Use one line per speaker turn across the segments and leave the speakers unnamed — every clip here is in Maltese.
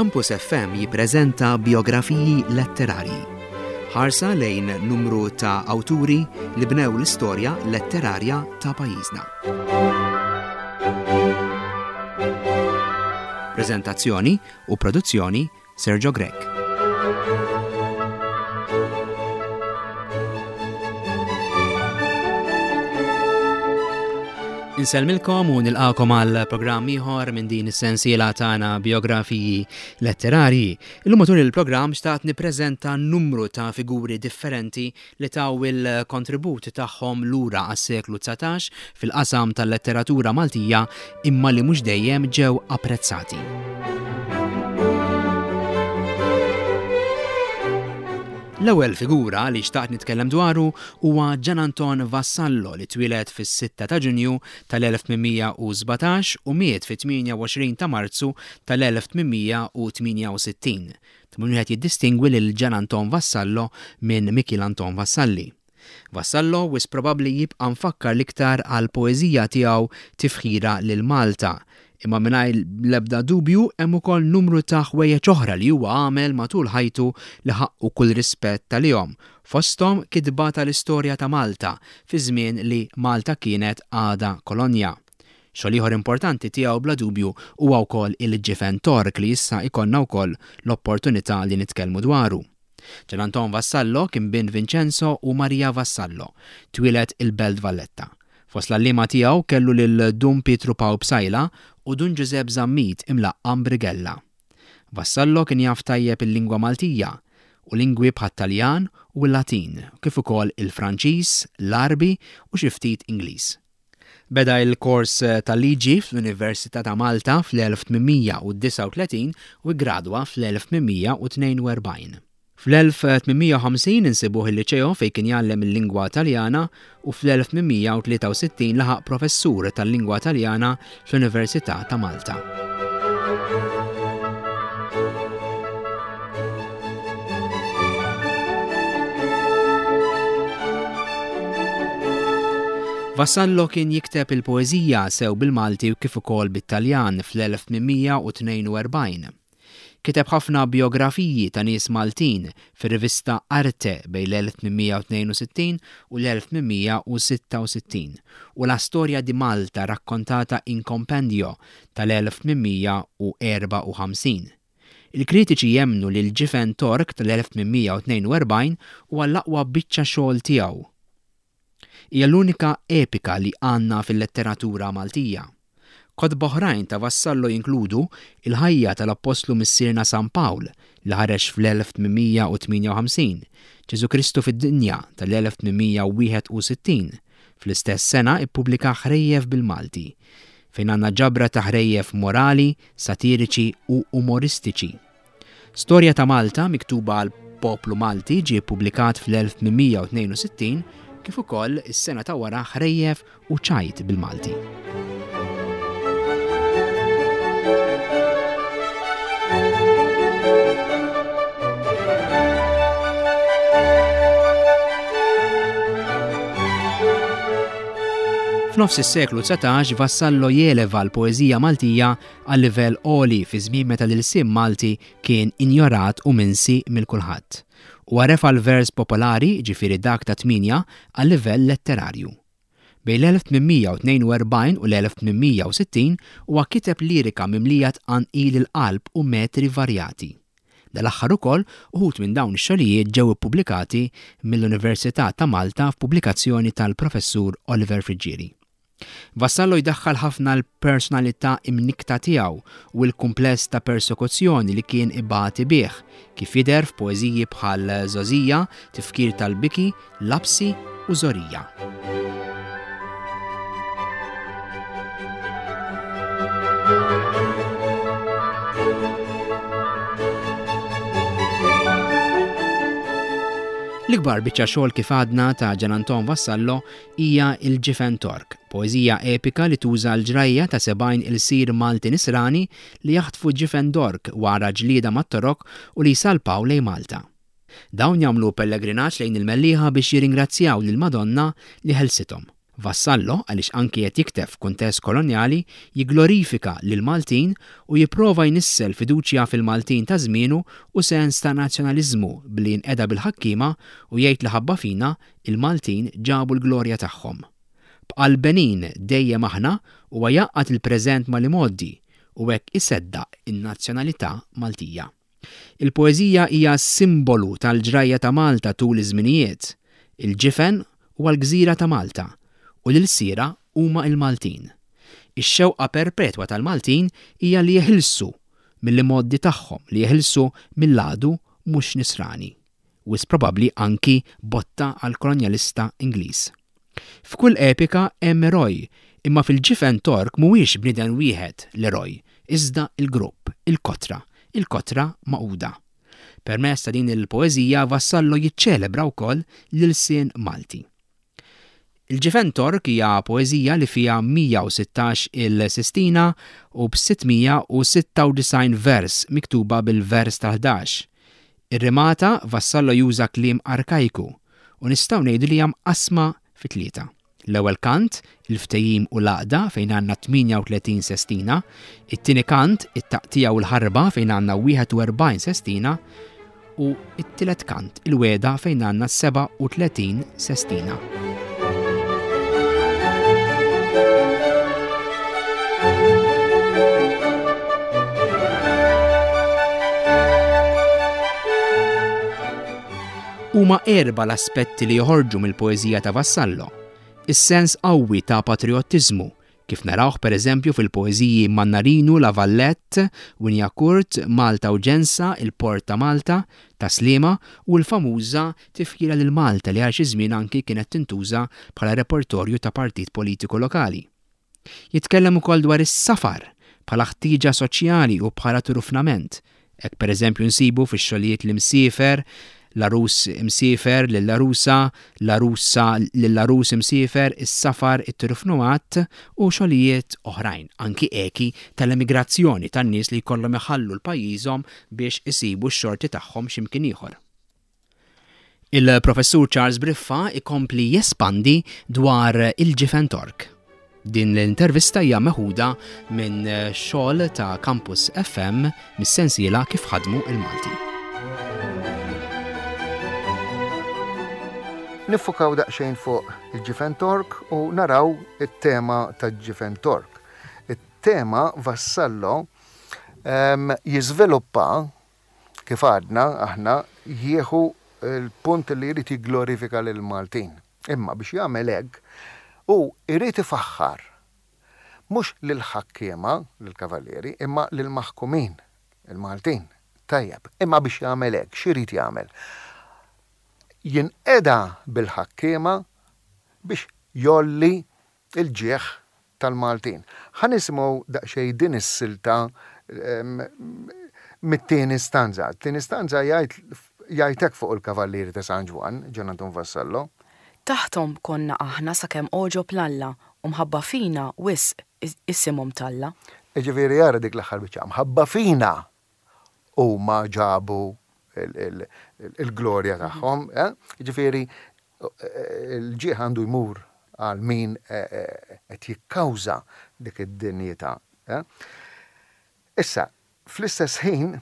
Campus FM jippreżenta bijografiji letterarji. Ħarsa lejn numru ta' awturi li bnew l-istorja letterarja ta' pajjiżna. Preżentazzjoni u produzzjoni Sergio Grech. Insellmilkom u nilqakom għal programm ieħor minn din is-sensiela tagħna biografiji letterarji. Illum matul il-programm xtaqt nippreżenta numru ta' figuri differenti li taw il-kontribut tagħhom lura għas-seklu 19 fil-qasam tal-letteratura Maltija imma li mhux dejjem ġew apprezzati. L-ewwel figura li xtaqt nitkellem dwaru huwa Gian Anton Vassallo li twieled fis-6 ta' Ġunju tal-1817 u miet fit-28 ta' Marzu tal-1868. Ta' min wieħed jiddistingwi lil Gian Anton Vassallo minn Mikiel Anton Vassalli. Vassallo wisq probabbli jibqa' mfakkar l-iktar għall-poeżija tiegħu Tifħira lil Malta, imma mingħajr l-ebda dubju hemm ukoll numru ta' ħwejjeġ oħra li huwa għamel matul ħajtu li ħaqqu kull rispett għalihom, fosthom kitba tal-istorja ta' Malta fi żmien li Malta kienet għadha kolonja. Xogħol ieħor importanti tiegħu bla dubju huwa wkoll Il-Ġifen Tork li issa jkollna wkoll l-opportunità li nitkellmu dwaru. Gian Anton Vassallo kien bin Vincenzo u Maria Vassallo. Twieled il-Belt Valletta. Fost l-għalliema tiegħu kellu lil Dun Pietru Pawl Psaila u Dun Ġużepp Zammit imlaqqam Brighella. Vassallo kien jaf tajjeb il-lingwa Maltija u lingwi bħat-Taljan u l-Latin kif ukoll il-Franċiż, l-Għarbi u xi ftit Ingliż. Beda l-kors tal-liġi fl-Università ta' Malta fl-1839 u ggradwa fl-1842. Fl-1850 insibuh il-Liċeo fejn kien jgħallem il-lingwa Taljana u fl-1863 laħaq professur tal-lingwa Taljana fl-Università ta' Malta. Vassallo kien jikteb il-poeżija sew bil-Malti u kif ukoll bit-Taljan fl-1842. Kiteb ħafna bijografiji ta' nies Maltin fir-rivista Arte bejn l-1862 u l-1866 u La Storia di Malta raccontata in compendio tal-1854. Il-kritiċi jemmnu li l-Ġifen Tork tal-1842 huwa l-aqwa biċċa xogħol tiegħu. Hija l-unika epika li għandna fil-letteratura Maltija. Kotba oħrajn ta' Vassallo jinkludu Il-Ħajja tal-Appostlu Missierna San Pawl li ħareġ fl-1858, Ġesù Kristu fid-Dinja tal-1861. Fl-istess sena ippubblika Ħrejjef bil-Malti, fejn għandna ġabra ta' ħrejjef morali, satiriċi u umoristiċi. Storja ta' Malta miktuba għall-poplu Malti ġie ppubblikat fl-1862 kif ukoll is-sena ta' wara Ħrejjef u Ċajt bil-Malti. F'nofs is-seklu 19 Vassallo jeleva l-poeżija Maltija għal livell għoli fi żmien meta l-ilsien Malti kien injorat u minsi mill kulħadd. Huwa refa' l-vers popolari, jiġifieri dak ta' tmienja, għal livell letterarju. Bejn l-1842 u l-1860 huwa kiteb lirika mimlija tqanqil il-qalb u metri varjati. Dal-aħħar ukoll uħud minn dawn ix-xogħlijiet ġew ippubblikati mill-Università ta' Malta f'pubblikazzjoni tal-Professur Oliver Friggieri. Vassallo jdaħħal ħafna l-personalità imnikkta tiegħu u l-kumpless ta' persekuzzjoni li kien ibati bih, kif jidher f'poeżiji bħal Żgħożija, Tifkir tal-Biki, Lapsi u Żorija. L-ikbar biċċa xogħol kif għadna ta' Gian Anton Vassallo hija Il-Ġifen Tork, poeżija epika li tuża l-ġrajja ta' 70 ilsir Malti Nisrani li jaħtfu ġifen Dork wara ġlieda mat-Torok u li jsalpaw lejn Malta. Dawn jagħmlu pellegrinaġġ lejn il-Mellieħa biex jirringrazzjaw lill-Madonna li ħelsithom. Vassallo, għaliex anki qed jikteb f'kuntest kolonjali, jigglorifika lill-Maltin u jipprova jnissel fiduċja fil-Maltin ta' żmienu u sens ta' nazzjonaliżmu billi jinqeda bil-ħakkiema u jgħid li ħabba fina, il-Maltin ġabu l-glorja tagħhom. B'qalbenin dejjem aħna huwa jgħaqqad il-preżent mal-imgħoddi u hekk iseddaq in-nazzjonalità Maltija. Il-poeżija hija simbolu tal-ġrajja ta' Malta tul iż-żminijiet. Il-ġifen huwa l-gżira ta' Malta u l-ilsiera huma l-Maltin. Ix-xewqa perpetwa tal-Maltin hija li jeħilsu mill-imgħoddi tagħhom, li jeħilsu mill-għadu mhux Nisrani. Wisq probabbli anki botta għall-kolonjalista Ingliż. F'kull epika hemm eroj, imma fil-Ġifen Tork mhuwiex bniedem wieħed l-eroj, iżda l-grupp, il-kotra, il-kotra magħquda. Permezz ta' din il-poeżija Vassallo jiċċelebra wkoll l-ilsien Malti. Il-Ġifen Tork hija poeżija li fiha 116 il-sistina u b'696 vers miktuba bil-vers tal-ħdax. Ir-rimata, Vassallo juża kliem arkajku u nistgħu ngħidu li hija mqassma fi tlieta. L-ewwel kant, il-ftehim u l-għaqda fejn għandna 38 sestina, it-tieni kant, it-taqtigħa u l-ħarba fejn għandna 41 sestina u t-tielet kant, il-wegħda fejn għandna 37 sestina. Huma erbgħa l-aspetti li joħorġu mill-poeżija ta' Vassallo. Is-sens qawwi ta' patrijottiżmu, kif narawh pereżempju fil-poeżiji Mannarinu, La Vallette, Wignacourt, Malta u Ġensa, Il-Port ta' Malta, Ta' Sliema, u l-famuża Tifħira lil Malta li għal xi żmien anki kienet tintuża bħala repertorju ta' partit politiku lokali. Jitkellem ukoll dwar is-safar bħala ħtieġa soċjali u bħala turufnament. Hekk pereżempju nsibu fix-xogħlijiet L-Imsiefer, L-Għarus Imsiefer, Lill-Għarusa, L-Għarusa, Lill-Għarus Imsiefer, Is-Safar, It-Turufnuat u xogħlijiet oħrajn, anki eki tal-emigrazzjoni tan-nies li jkollhom iħallu l-pajjiżhom biex isibu x-xorti tagħhom xi mkien ieħor. Il-Professur Charles Briffa ikompli jespandi dwar il-ġifen Tork. Din l-intervista hija meħuda minn xogħol ta' Campus FM mis-sensiela Kif ħadmu il-Malti.
Niffukaw daqsxejn fuq il-ġifen Tork u naraw it-tema tal-ġifen Tork. It-tema Vassallo ehm, jiżviluppa Kif għadna aħna, jieħu l-punt li jrid jigglorifika lill-Maltin. Imma biex jagħmel hekk, hu jrid ifaħħar mhux lill-ħakkiema, lill-kavallieri, imma lill-maħkumin, il-Maltin. Tajjeb, imma biex jagħmel hekk, x'irid jagħmel? Jinqeda bil-ħakkiema biex jgħolli l-ġieħ tal-Maltin. Ħa nisimgħu daqsxejn din is-silta mit-tieni stanza. Tieni stanza jgħid jgħid hekk fuq il-Kavallieri ta' San Ġwann, Ġan Anton Vassallo.
Taħthom konna aħna sakemm għoġob 'l Alla u mħabba fina wisq isimhom talla.
Jiġifieri ara dik l-aħħar biċċa, mħabba fina huma ġabu l-glorja tagħhom. Eh? Jiġifieri l-ġieħ għandu jmur għal min qed jikkawża dik id-dinjità. Eh? Issa, fl-istess ħin,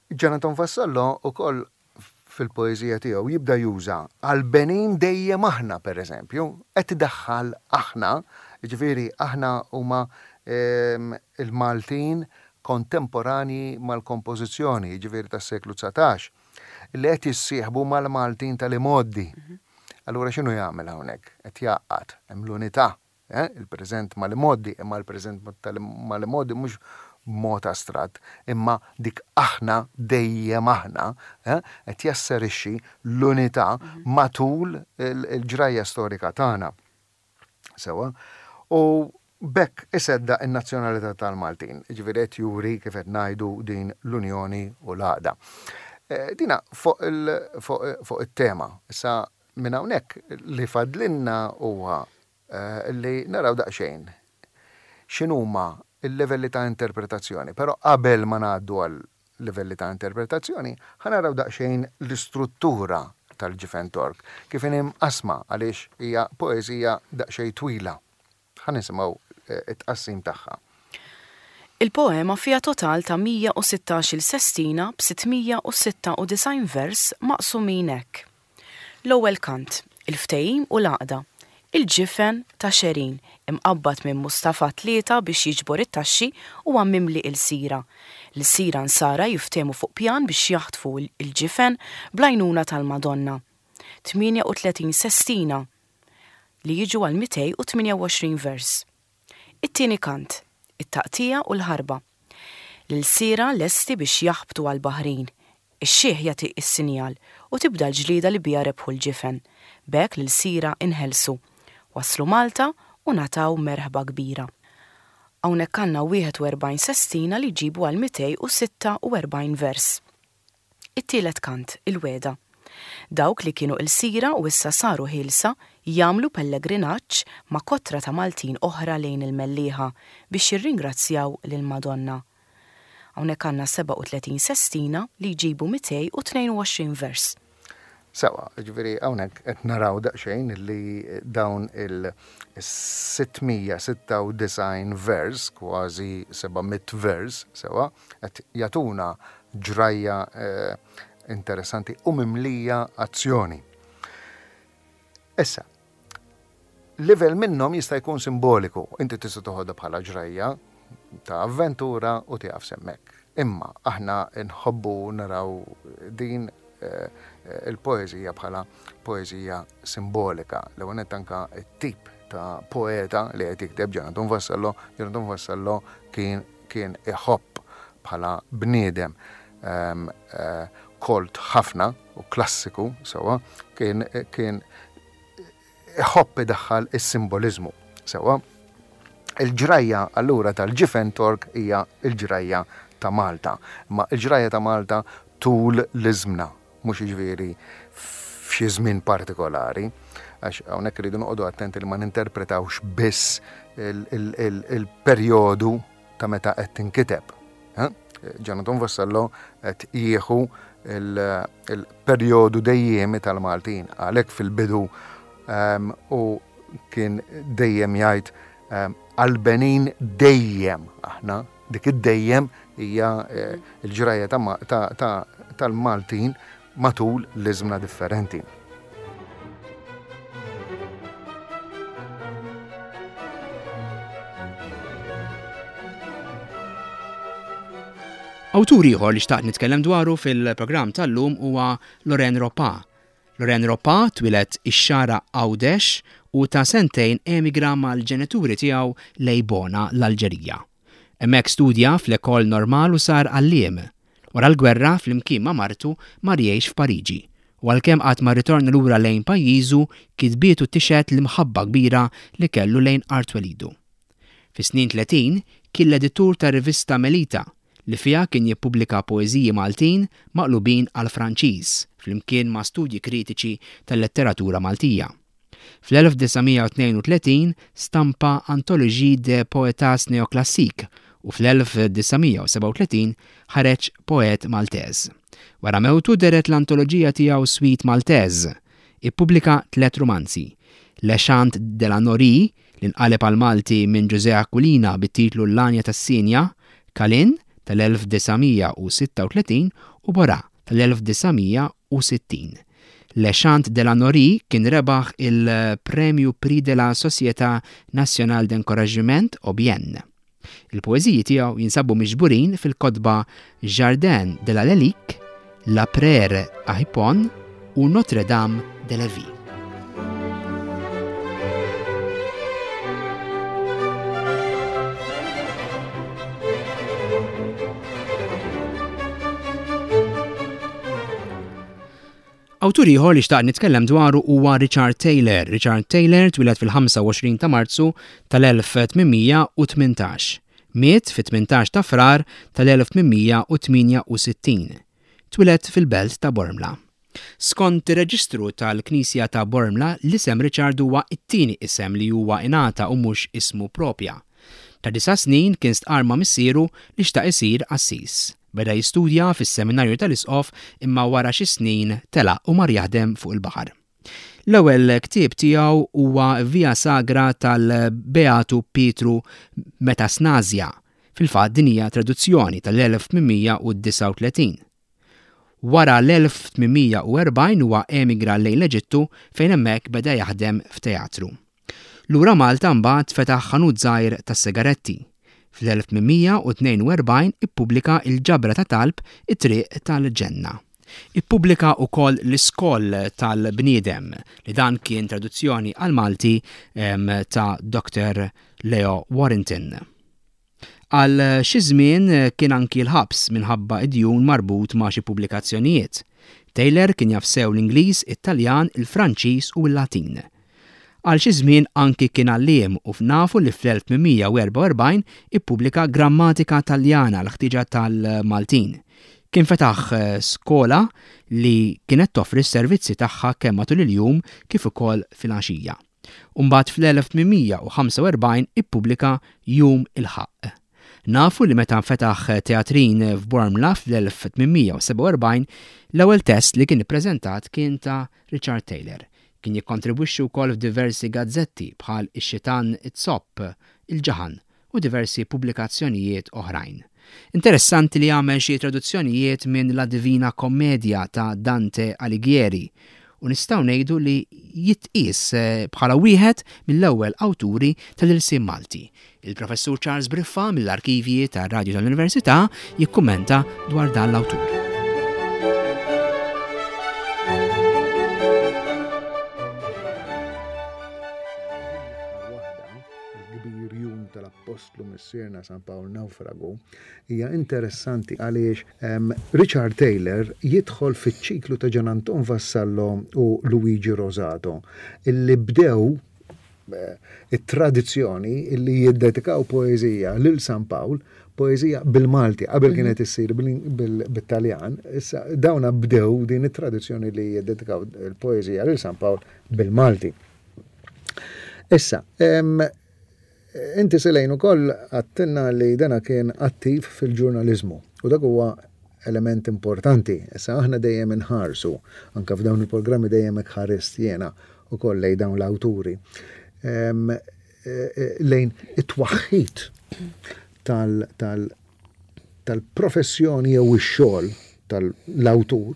Ġan Anton Vassallo ukoll fil-poeżija tiegħu jibda juża għall-benin dejjem aħna pereżempju, qed idaħħal aħna, jiġifieri aħna huma l-Maltin kontemporanji mal-kompożizzjoni, jiġifieri tas-seklu 19, li qed jissieħbu mal-Maltin tal-imgħoddi. Allura x'inhu jagħmel hawnhekk? Qed jgħaqqad, hemm l-unità. Il-preżent mal-imgħoddi, imma l-preżent mal-imgħoddi mhux b'mod astratt, imma dik aħna, dejjem aħna, qed jasserixxi l-unità matul il-ġrajja storika tagħna. Sewwa? U b'hekk iseddaq in-nazzjonalità tal-Maltin, jiġifieri qed juri kif qed ngħidu din l-unjoni u l-għaqda. Dina fuq it-tema. Issa Minn hawnhekk li fadlilna huwa li naraw daqsxejn x'inhuma l-livelli ta' interpretazzjoni. Però qabel ma ngħaddu għal livelli ta' interpretazzjoni, ħa naraw daqsxejn l-istruttura tal-Ġifen Tork, kif inhi mqassma għaliex hija poeżija daqsxejn twila. Ħa nisimgħu t-tqassim tagħha.
Il-poema fiha total ta' 116-il sestina b'696 vers maqsumin hekk. L-ewwel kant, il-ftehim u l-għaqda, il-ġifen ta' Xerin, imqabbad minn Mustafa Tlieta biex jiġbor it-taxxi huwa mimli ilsira. L-ilsira Nsara jiftehmu fuq pjan biex jaħtfu l-ġifen bl-għajnuna tal-Madonna. 38 sestina li jiġu għal 228 vers. It-tieni kant, it-taqtigħa u l-ħarba. L-ilsiera lesti biex jaħbtu għall-baħrin. Ix-xiħ jagħti s-sinjal u tibda l-ġlieda li biha rebħu l-ġifen. B'hekk l-ilsiera inħelsu. Waslu Malta u ngħataw merħba kbira. Hawnhekk għandna 41 sestina li jġibu għal 246 vers. It-tielet kant, il-wegħda. Dawk li kienu ilsira u issa saru ħielsa jagħmlu pellegrinaġġ ma' kotra ta' Maltin oħra lejn il-Mellieħa biex jirringrazzjaw lill-Madonna. Hawnhekk għandna 37 sestina li jġibu 222 vers.
Sewwa, jiġifieri hawnhekk qed naraw daqsxejn li dawn il-696 vers, kważi 700 vers, sewwa, qed jagħtuna ġrajja interessanti u mimlija azzjoni. Issa, livell minnhom jista' jkun simboliku, inti tista' toħodha bħala ġrajja ta' avventura u tieqaf s'hemmhekk. Imma aħna nħobbu naraw din eh, il-poeżija bħala poeżija simbolika. L-ewwel nett anka t-tip ta' poeta li qed jikteb Ġan Anton Vassallo, Ġan Anton Vassallo kien kien iħobb bħala bniedem ehm, eh, kolt ħafna u klassiku sewwa, kien kien iħobb idaħħal is-simboliżmu sewwa. Il-ġrajja allura tal-ġifen Tork hija l-ġrajja ta' Malta. Imma l-ġrajja ta' Malta tul l-iżmna, mhux jiġifieri f'xi żmien partikolari, għax hawnhekk irridu noqogħdu attenti li ma ninterpretawx biss il-perjodu ta' meta qed tinkiteb. Ġanatun Vassallo qed jieħu il-perjodu dejjemi tal-Maltin, għalhekk fil-bidu ehm, u kien dejjem jgħid ehm, għall-benin dejjem aħna, dik id-dejjem hija eh, l-ġrajja tal-Maltin matul l-iżmna differenti.
Awtur ieħor li xtaqt nitkellem dwaru fil-programm tal-lum huwa Loren Ropa. Loren Ropa twieled ix-Xagħra Għawdex u ta' sentejn emigra mal-ġenituri tiegħu lejn Bona, l-Alġerija. Hemmhekk studja fl-École Normale u sar għalliem. Wara l-gwerra, flimkien ma' martu, mar jgħix f'Pariġi. U għalkemm qatt ma rritorna lura lejn pajjiżu, kitbietu tixhed l-imħabba kbira li kellu lejn art twelidu. Fis-snin 30, kien l-editur tar-rivista Melita, li fiha kien jippubblika poeżiji Maltin maqlubin għall-Franċiż, flimkien ma' studji kritiċi tal-letteratura Maltija. Fl-1932 stampa Anthologie de poetas néoclassiques u fl-1937 ħareġ Poète Maltaise. Wara mewtu dehret l-antoloġija tiegħu Suite Maltaise. Ippubblika tliet rumanzi, Le Chant de la Norie, li nqaleb għall-Malti minn Ġużè Aquilina bit-titlu L-Għanja tas-Sienja, Kalin, tal-1936 u Borà, tal-1960. Le Chant de la Norie kien rebaħ il-Premju Prix de la Société Nationale d'Encouragement au Bien. Il-poeżiji tiegħu jinsabu miġburin fil-kotba Jardin de la Lelique, La Prère à Hippone u Notre-Dame de Lévis. Awtur ieħor li xtaqt nitkellem dwaru huwa Richard Taylor. Richard Taylor twieled fil-25 ta' Marzu tal-1818. Miet fit-18 ta' Frar tal-1868. Twieled fil-belt ta' Bormla. Skont ir-reġistru tal-Knisja ta' Bormla, l-isem Richard huwa t-tieni isem li huwa ingħata u mhux ismu propja. Ta' disa' snin kien stqarr ma' missieru li xtaq isir qassis. Beda jistudja fis-Seminarju tal-Isqof imma wara xi snin telaq u mar jaħdem fuq il-baħar. L-ewwel ktieb tiegħu huwa Via Sagra tal-Beatu Pietru Metasnasia. Fil-fatt din hija traduzzjoni tal-1839. Wara l-1840 huwa emigra lejn l-Eġittu fejn hemmhekk beda jaħdem f'teatru. Lura Malta mbagħad fetaħ ħanut żgħir tas-sigaretti. Fl-1842 ippubblika l-ġabra ta' talb It-Triq tal-Ġenna. Ippubblika wkoll L-Iskoll tal-Bniedem li dan kien traduzzjoni għall-Malti ta' Dr. Leo Warrington. Għal xi żmien kien anki l-ħabs minħabba d-djun marbut ma' xi pubblikazzjonijiet. Taylor kien jaf sew l-Ingliż, it-Taljan, il-Franċiż u l-Latin. Għal xi żmien anki kien għalliem u nafu li fl-1844 ippubblika grammatika Taljana għall-ħtieġa tal-Maltin. Kien fetaħ skola li kienet toffri s-servizzi tagħha kemm matul il-jum kif ukoll filgħaxija. U mbagħad fl-1845 ippubblika Jum il-Ħaqq. Nafu li meta fetaħ teatrin f'Bormla fl-1847, l-ewwel test li kien ippreżentat kien ta' Richard Taylor. Kien jikkontribwixxi wkoll f'diversi gazzetti bħal Ix-Xitan Iz-Zopp, Il-Ġaħan, u diversi pubblikazzjonijiet oħrajn. Interessanti li għamel xi traduzzjonijiet minn La Divina Commedia ta' Dante Alighieri u nistgħu ngħidu li jitqies bħala wieħed mill-ewwel awturi tal-ilsien Malti. Il-Professur Charles Briffa mill-Arkivji tar-Radju tal-Università jikkummenta dwar dan l-awtur.
Il-kbir jum tal-Appostlu Missierna San Pawl Nawfragu hija interessanti għaliex Richard Taylor jidħol fiċ-ċiklu ta' Gian Anton Vassallo u Luigi Rosato illi bdew eh, it-tradizzjoni illi jiddedikaw poeżija lil San Pawl, poeżija bil-Malti, qabel mhm. kienet issir bil-Taljan, issa dawna bdew din it-tradizzjoni li jiddedikaw il-poeżija lil San Pawl bil-Malti. Issa, inti Selejn ukoll għattilna li dana kien attiv fil-ġurnaliżmu u dak huwa element importanti. Issa aħna dejjem inħarsu, anke f'dawn il-programmi dejjem hekk ħarist jiena ukoll lejn dawn l-awturi, e, e, lejn it-twaħħid tal-professjoni jew ix-xogħol tal-awtur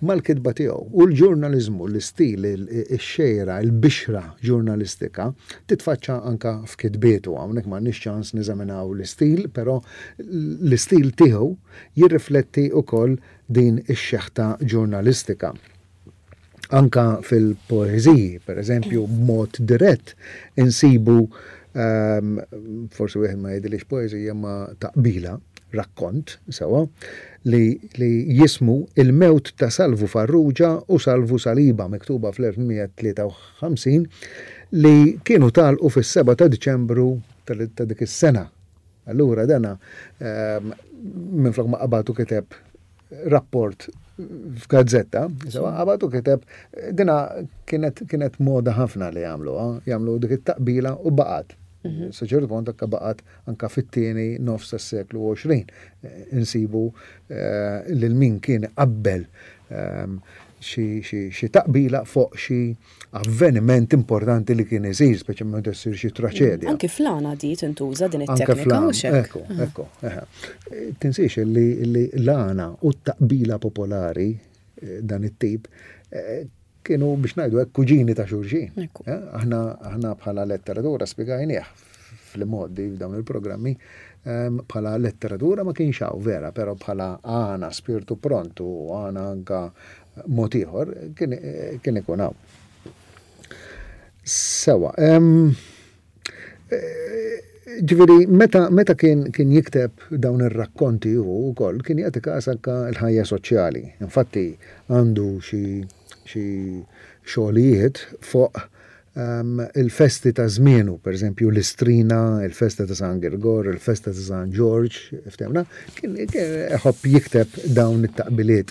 mal-kitba tiegħu. U l-ġurnaliżmu, l-istil, ix-xejra, il-bixra ġurnalistika titfaċċa anke f'kitbietu. Hawnhekk m'għandniex ċans neżaminaw l-istil, però l-istil tiegħu jirrifletti wkoll din ix-xeħta ġurnalistika. Anka fil-poeżiji, per eżempju, b'mod dirett insibu ehm, forsi wieħed ma jgħidilix poeżija ma taqbila, rakkont, sewa, li, li jismu Il-mewt ta' Salvu Farrugia u Salvu Saliba miktuba fl-1853 li kienu talqu fis-7 ta' Diċembru ta' dik is-sena. Allura dana ehm, minflok ma qabad u kiteb rapport f'gazzetta, sewa qabad u kiteb dina kienet kienet moda ħafna li jagħmlu, jagħmlu dik it-taqbila u baqgħet. Mhm. Sa ċertu punt anka baqgħet anka fit-tieni nofs tas-seklu 20 insibu eh, lil min kien qabbel ehm, xi taqbila fuq xi avveniment importanti li kien isir, speċjalment meta ssir xi traċedja.
Anki fl-għana di tintuża din it-teknika
mhux hekk. Ekku, ah. ekku. Tinsiex li l-għana u t-taqbila popolari eh, dan it-tip eh, kienu biex ngħidu hekk kuġini ta' xulxin. Eh, aħna aħna bħala letteratura spjegajnieh fl-modi f'dawn il-programmi ehm, bħala letteratura ma kienx hawn vera, però bħala għana spirtu prontu għana anka mod ieħor kien ikun hawn. Sewa, ġifieri meta, meta kien, kien jikteb dawn ir-rakkonti hu wkoll kien jagħti każ anke l-ħajja soċjali. Infatti għandu xi xi xogħlijiet fuq il-festi ta' żmienu, pereżempju l-Istrina, il-festa ta' San Girgor, il-festa ta' San Ġorġ, ftehmna, kien iħobb jikteb dawn it-taqbiliet,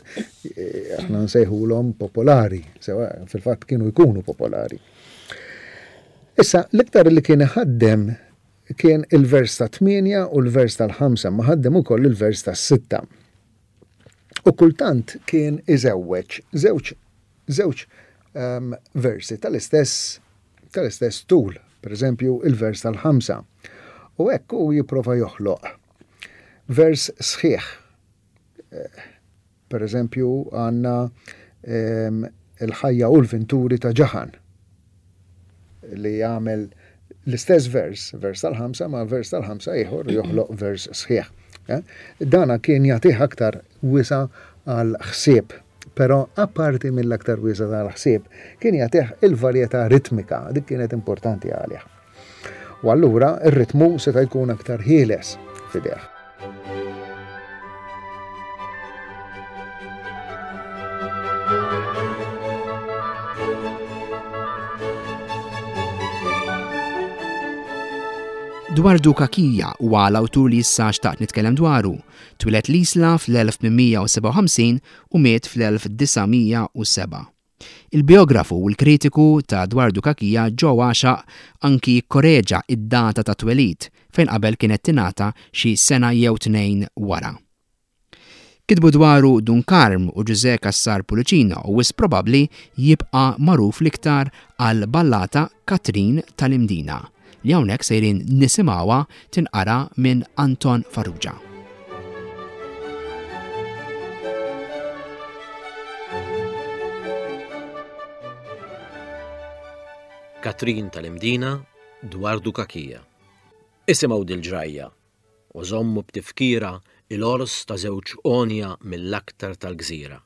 aħna nsejħulhom popolari, sewa fil-fatt kienu jkunu popolari. Issa, l-iktar li kien iħaddem kien il-vers ta' tmienja u l-vers tal-ħamsa, ma ħaddem ukoll il-vers tas-sitta. U kultant kien iżewweġ żewġ żewġ ehm, versi tal-istess tal-istess tul, per eżempju il-vers tal-ħamsa. U hekk hu jipprova joħloq vers sħiħ. Eh, per eżempju għandna ehm, il-ħajja u l-vinturi ta' Ġaħan li jagħmel l-istess vers, vers tal-ħamsa ma' vers tal-ħamsa ieħor joħloq vers sħiħ. Eh? Dana kien jagħtih aktar wisa għal ħsieb, però apparti mill-aktar wisa tal-ħsieb kien jagħtih il-varjetà ritmika, dik kienet importanti għalih. U allura ir-ritmu seta' jkun aktar ħieles f'idejh.
Dwar Duka Kija huwa l-awtur li issa xtaqt nitkellem dwaru. Twieled l-Isla fl-1857 u miet fl-1907. Il-bijografu u l-kritiku ta' Dwardu Cachia Joe Għaxaq anki kkoreġa d-data tat-twelid, fejn qabel kienet tingħata xi sena jew tnejn wara. Kitbu dwaru Dun Karm u Ġużè Cassar Pullicino u wisq probabbli jibqa' magħruf l-iktar għall-ballata Katrin tal-Imdina. li hawnhekk sejrin nisimgħuha tinqara minn Anton Farrugia.
Katrin tal-Imdina dwar Dukakija. Isimgħu dil-ġrajja u żommu b'tifkira il-għors ta' żewġ għonja mill-aktar tal-gżira.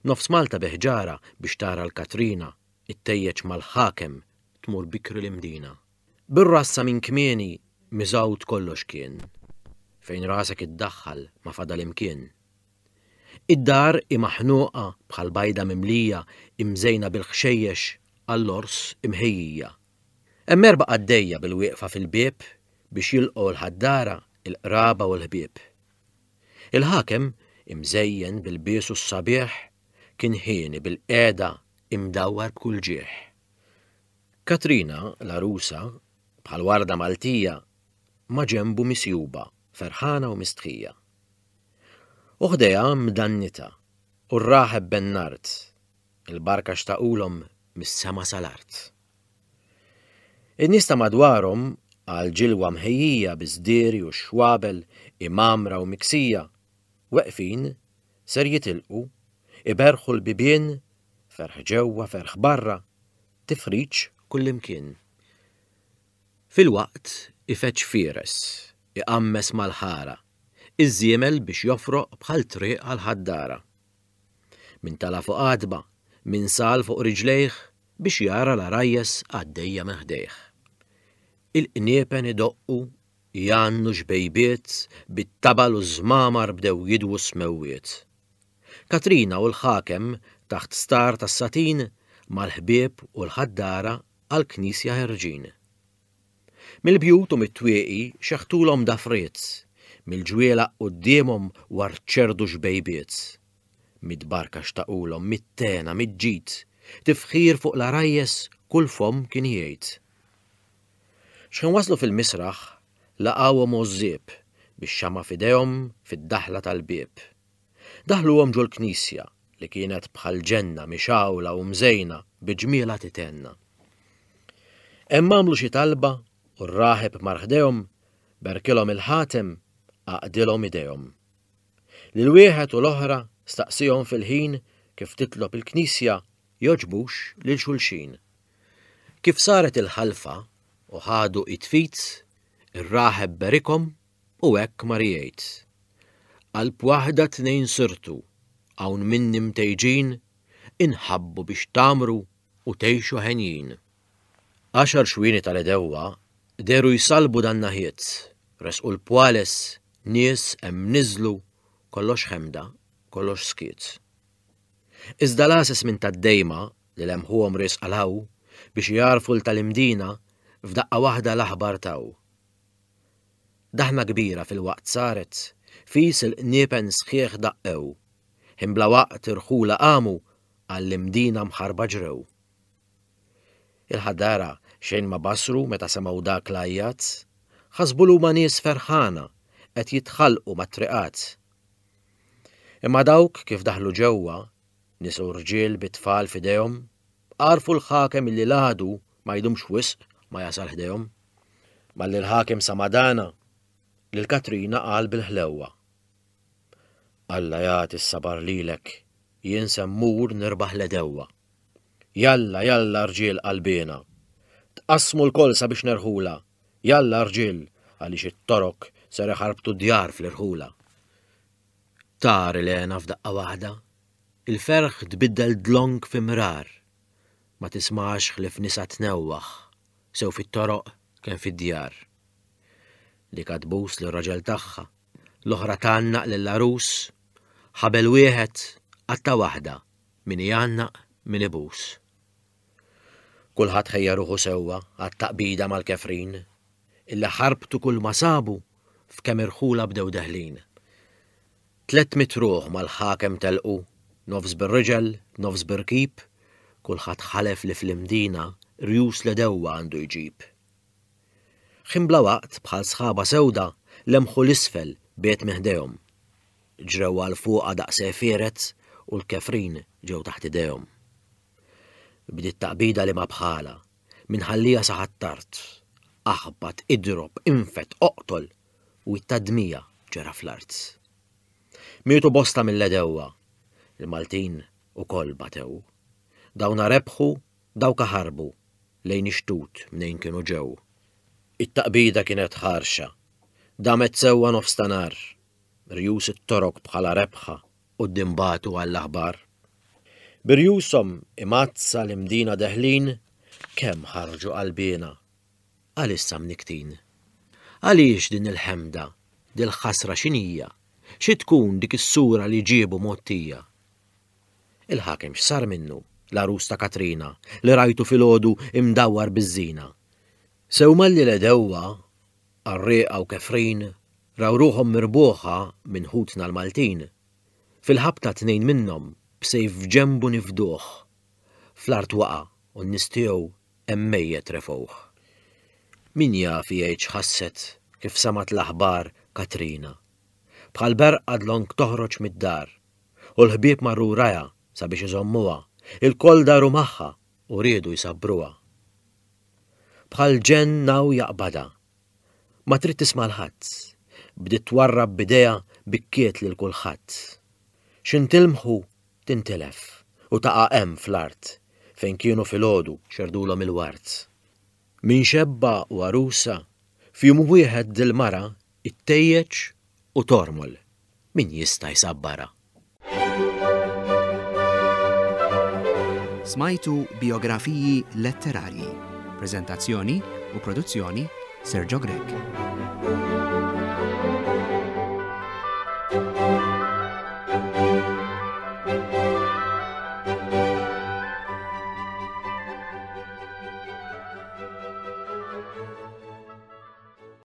Nofs Malta bi ħġarha biex tara l-Katrina ittejjeġ mal-ħakem tmur bikri l-Imdina. Bir-ras sa minn kmieni miżgħud kollox kien. Fejn rasek iddaħħal ma fadal imkien. Id-dar hi maħnuqa bħal bajda mimlija imżejna bil-ħxejjex għall-għors imħejjija. Hemm erba' qaddejja bil-wieqfa fil-bieb biex jilqgħu l-ħaddara, il-qraba u l-ħbieb. Il-ħakem, imżejjen b'ilbiesu s-sabiħ, kien hieni bil-qiegħda imdawwar b'kull ġieħ. Katrina, l-għarusa, bħal warda Maltija, maġenbu misjuba, ferħana u mistħija. U ħdejha mdannita, u r-raħeb Bennard, il-barka xtaqulhom mis-sema sal-art. In-nies ta' madwarhom, għal ġilwa mħejjija bi żdieri u x-xwabel imgħammra u miksija, weqfin, ser jitilqu, iberrħu l-bibien, ferħ ġewwa, ferħ barra, tifriġ kullimkien. Filwaqt ifeġġ fieres, iqammes mal-ħara, iż-żiemel biex jofroq bħal triq għall-ħaddara. Min tala' fuq għatba, min sal fuq riġlejh biex jara l-għarajjes għaddejja minn ħdejh. Il-qniepen idoqqu, jgħannu xbejbiet, bit-tabal u ż-żmamar bdew jidwu s-smewwiet. Katrina u l-ħakem taħt star tas-satin mal-ħbieb u l-ħaddara għall-knisja ħerġin. Mill-bjut u mit-twieqi xeħtulhom dafriet, mill-ġwielaq quddiemhom warċerdu xbejbiet. Mid-barka xtaqulhom, mit-tena, mid-ġid, tifħir fuq l-għarajjes kull fomm kien jgħid. X'ħin waslu fil-misraħ, laqgħuhom għożżieb, bix-xama' f'idejhom fid-daħla tal-bieb. Daħluhom ġol-knisja, li kienet bħal ġenna mixgħula u mżejna bi ġmielha tithenna. Hemm għamlu xi talba u r-raħeb mar ħdejhom, berkilhom il-ħatem, għaqdilhom idejhom. Lil wieħed u l-oħra staqsihom fil-ħin kif titlob il-knisja jogħġbux lil xulxin. Kif saret il-ħalfa u ħadu id f'id, ir-raħeb berikhom u hekk mar jgħid, Qalb waħda tnejn sirtu, hawn minni mtejġin, inħabbu biex tgħammru u tgħixu henjin. Għaxar xwieni tal-għedewwa dehru jsallbu dan-naħiet, resqu l-pwales, nies hemm niżlu, kollox ħemda, kollox skiet. Iżda l-għases minn tad-Dejma li lemħuhom riesqa 'l hawn biex igħarrfu 'l tal-Imdina f'daqqa waħda l-aħbar taw. Daħna kbira filwaqt saret, fis il-qniepen sħiħ daqqew. Ħin bla waqt irħula qamu għall-Imdina mħarba ġrew. Il-ħaddara xejn ma basru meta semgħu dak l-għajjat, ħasbu l huma nies ferħana qed jitħallqu mat-triqat. Imma dawk kif daħlu ġewwa, nisa u rġiel bit-tfal f'idejhom, għarfu l-ħakem illi l-għadu ma jdumx wisq ma jasal ħdejhom. Malli l-ħakem sama' dana, lil Katrina qal bil-ħlewwa. Alla jagħti s-sabar lilek, jien se mmur nirbaħ l-għedewwa. Jalla, jalla rġiel qalbiena! Tqassmu lkoll sabiex nerħulha, jalla rġiel għaliex it-Torok ser iħarbtu d-djar fl-irħula. Tar il-hena f'daqqa waħda, il-ferħ tbiddel dlonk fi mrar. Ma tismax ħlief nisa tnewwaħ, sew fit-toroq kemm fid-djar. Dik tbus lir-raġel tagħha, l-oħra tgħannaq lill-għarus, ħabel wieħed, qatta' waħda, min igħannaq, min ibus. Kulħadd ħejja ruħu sewwa għat-taqbida mal-kefrin, illi ħarbtu kulma sabu f'kemm irħula bdew deħlin. 300 ruħ mal-ħakem telqu, nofs bir-riġel, nofs bir-rkib, kulħadd ħalef li fl-Imdina rjus l-għedewwa għandu jġib. Ħin bla waqt bħal sħaba sewda lemħu 'l isfel biegħed minn ħdejhom. Ġrew għal fuqha daqs għefieret u l-kefrin ġew taħt idejhom. Bdiet taqbida li ma bħalha, minn ħallija sa Ħ'Attard. Aħbat, idrob, infed, oqtol u it-tadmija ġera fl-art. Mietu bosta mill-għedewwa. Il-Maltin ukoll batew. Dawna rebħu, dawk ħarbu lejn ix-xtut mnejn kienu ġew. It-taqbida kienet ħarxa. Damet sewwa nofs ta' nhar. Rjus it-Torok bħala rebħa quddiem bagħtu għall-aħbar. Bi rjushom imgħaddsa l-Imdina deħlin, kemm ħarġu qalbiena, għalissa mnikktin. Għaliex din il-ħemda, dil-ħasra x'inhija, xi tkun dik is-sura li ġiebu mgħottija? Il-ħakem x'sar minnu, l-għarus ta' Katrina, li rajtu filgħodu imdawwar biż-żina? Sew malli l-għedewwa, qarrieqa u kefrin, raw ruħhom mirbuħa minn ħutna l-Maltin, fil-ħabta tnejn minnhom b'sejf f'ġenbu nifduh, fl-art waqa' u n-nies tiegħu hemm mejjet refgħuh. Min jaf jgħid x'ħasset kif semgħet l-aħbar Katrina. Bħal berqa dlonk toħroġ mid-dar, u l-ħbieb marru wrajha sabiex iżommuha, ilkoll daru magħha u riedu jsabbruha. Bħal ġenn hawn jaqbadha. Ma trid tisma' 'l ħadd. Bdiet twarrab b'idejha bikkiet lil kulħadd. X'intilmħu tintilef u taqa' hemm fl-art fejn kienu filgħodu xerdulhom il-ward. Minn xebba u għarusa, f'jum wieħed dil-mara ittejjeġ u tormol. Min jista' jsabbarha?
Smajtu Bijografiji Letterarji. Preżentazzjoni u produzzjoni Sergio Grech.